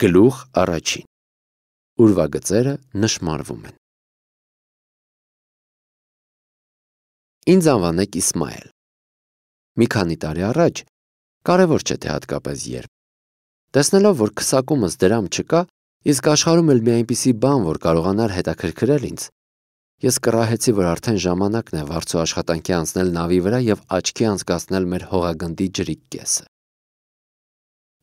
Գլուխ առաջին։ Ուրվագծերը նշմարվում են։ Ինձ անվանեք Իսմայել։ Մի քանի տարի առաջ, կարևոր չէ թե հատկապես երբ, տեսնելով, որ քսակումս դրամ չկա, իսկ աշխարհում էլ մի այնպիսի բան, որ կարողանար հետաքրքրել ինձ, ես կռահեցի, որ արդեն ժամանակն է վարձու աշխատանքի անցնել նավի վրա եւ աչքի անցկացնել մեր հողագնդի ջրիկ կեսը։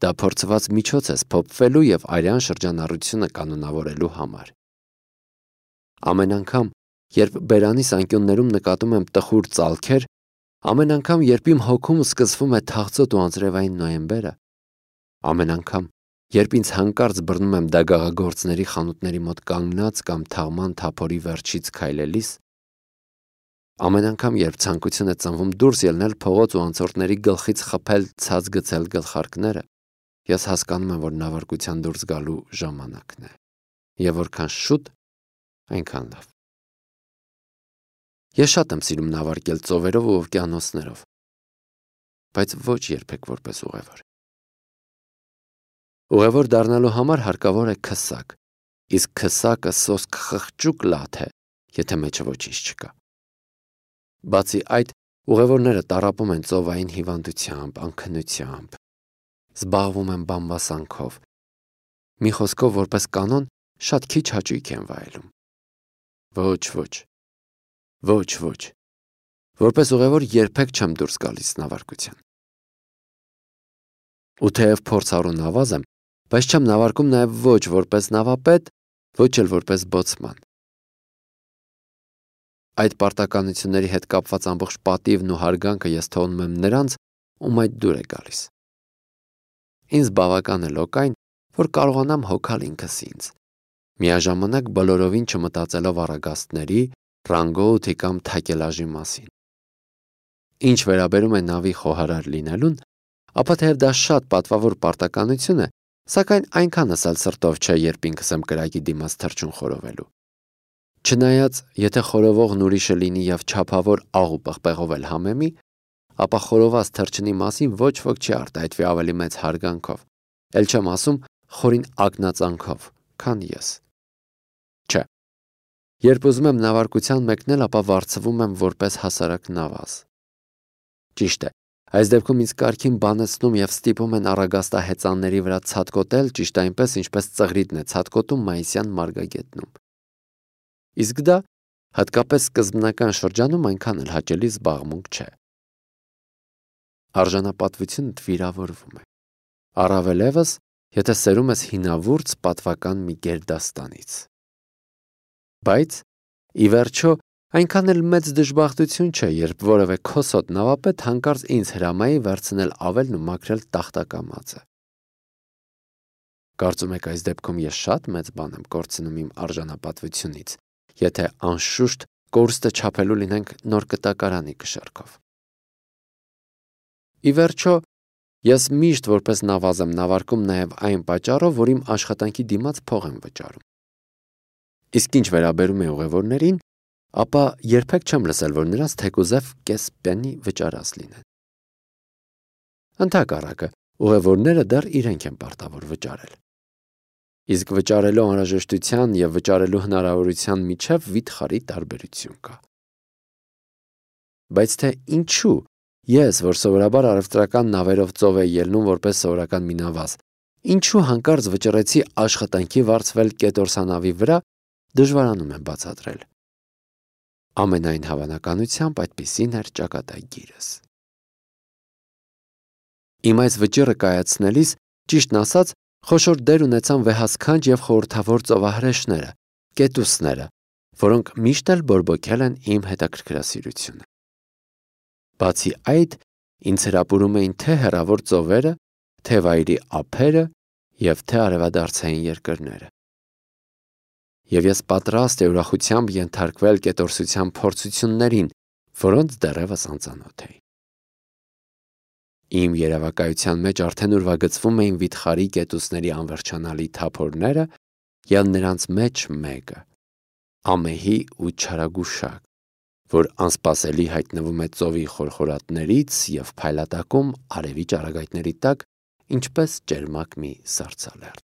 Դա փորձված միջոց է սփոփվելու եւ արյան շրջանառությունը կանոնավորելու համար։ Ամեն անգամ, երբ բերանիս անկյուններում նկատում եմ տխուր ծալքեր, ամեն անգամ, երբ իմ հոգում սկսվում է թախծոտ ու անձրևային նոյեմբերը, ամեն անգամ, երբ ինձ հանկարծ բռնում եմ դագաղագործների խանութների մոտ կանգնած կամ թաղման թափորի վերջից քայլելիս, ամեն անգամ, երբ ցանկություն է ծնվում դուրս ելնել փողոց ու անցորդների գլխից խփել ցած գցել գլխարկները, ես հասկանում եմ, որ նավարկության դուրս գալու ժամանակն է, եւ որքան շուտ, այնքան լավ։ Ես շատ եմ սիրում նավարկել ծովերով ու օվկիանոսներով, բայց ոչ երբեք որպես ուղևոր։ Ուղևոր դառնալու համար հարկավոր է քսակ, իսկ քսակը սոսկ խղճուկ լաթ է, եթե մեջը ոչինչ չկա։ Բացի այդ, ուղևորները տառապում են ծովային հիվանդությամբ, անքնությամբ, զբաղվում են բամբասանքով, մի խոսքով որպես կանոն շատ քիչ հաճույք են վայելում։ Ոչ, որպես ուղևոր երբեք չեմ դուրս գալիս նավարկության։ Ու թեև փորձառու նավազ եմ, բայց չեմ նավարկում նաև ոչ որպես նավապետ, ոչ էլ որպես բոցման։ Այդ պարտականությունների հետ կապված ամբողջ պատիվն ու հարգանքը ես թողնում եմ նրանց, ում այդ դուր է գալիս։ Ինձ բավական է լոկ այն, որ կարողանամ հոգալ ինքս ինձ, միաժամանակ բոլորովին չմտածելով առագաստների, ռանգոութի կամ թակելաժի մասին։ Ինչ վերաբերում է նավի խոհարար լինելուն, ապա թեև դա շատ պատվավոր պարտականություն է, սակայն այնքանս էլ սրտով չէ, երբ ինքս եմ կրակի դիմաց թռչուն խորովելու։ Չնայած, եթե խորովողն ուրիշը լինի եւ չափավոր աղ ու պղպեղով էլ համեմի, ապա խորոված թռչնի մասին ոչ ոք չի արտահայտվի ավելի մեծ հարգանքով, էլ չեմ ասում խորին ակնածանքով, քան ես։ Չէ։ Երբ ուզում եմ նավարկության մեկնել, ապա վարձվում եմ որպես հասարակ նավազ։ Ճիշտ է, այս դեպքում ինձ կարգին բանեցնում եւ ստիպում են առագաստահեծանների վրա ցատկոտել, ճիշտ այնպես, ինչպես ծղրիդն է ցատկոտում մայիսյան մարգագետնում։ Իսկ դա, հատկապես սկզբնական շրջանում, այնքան էլ հաճելի զբաղմունք չէ։ Արժանապատվությունը վիրավորվում է։ Առավելևս, եթե սերում ես հինավուրց պատվական մի գերդաստանից։ Բայց, ի վերջո, այնքան էլ մեծ դժբախտություն չէ, երբ որևէ քոսոտ նավապետ հանկարծ ինձ հրամայի վերցնել ավելն ու մաքրել տախտակամածը։ Կարծում եք այս դեպքում ես շատ մեծ բան եմ կորցնում իմ արժանապատվությունից, եթե անշուշտ կորստը չափելու լինենք նոր կտակարանի կշեռքով։ Ի վերջո, ես միշտ որպես նավազ եմ նավարկում նաև այն պատճառով, որ իմ աշխատանքի դիմաց փող եմ վճարում։ Իսկ ինչ վերաբերում է ուղևորներին, ապա երբեք չեմ լսել, որ նրանց թեկուզև կես պենի վճարած լինեն։ Ընդհակառակը, ուղևորները դեռ իրենք են պարտավոր վճարել։ Իսկ վճարելու անհրաժեշտության եւ վճարելու հնարավորության միջև վիթխարի տարբերություն կա։ Բայց թե ինչու ես, որ սովորաբար առևտրական նավերով ծով է ելնում որպես սովորական մի նավազ, ինչու հանկարծ վճռեցի աշխատանքի վարձվել կետորսանավի վրա, դժվարանում եմ բացատրել։ Ամենայն հավանականությամբ այդպիսին էր ճակատագիրս։ Իմ այս վճիռը կայացնելիս, ճիշտն ասած, խոշոր դեր ունեցան վեհասքանչ եւ խորհրդավոր ծովահրեշները, կետուսները, որոնք միշտ էլ բորբոքել են իմ հետաքրքրասիրությունը։ Բացի այդ, ինձ հրապուրում էին թե հեռավոր ծովերը, թե վայրի ափերը եւ թե արևադարձային երկրները։ Եվ ես պատրաստ էի ուրախությամբ ենթարկվել կետորսության փորձություններին, որոնց դեռևս անծանոթ էի։ Իմ երևակայության մեջ արդեն ուրվագծվում էին վիթխարի կետուսների անվերջանալի թափորները եւ նրանց մեջ մեկը՝ ամեհի ու չարագուշակ, որ անսպասելի հայտնվում է ծովի խորխորատներից եւ փայլատակում արևի ճառագայթների տակ, ինչպես ճերմակ մի սառցալերտ։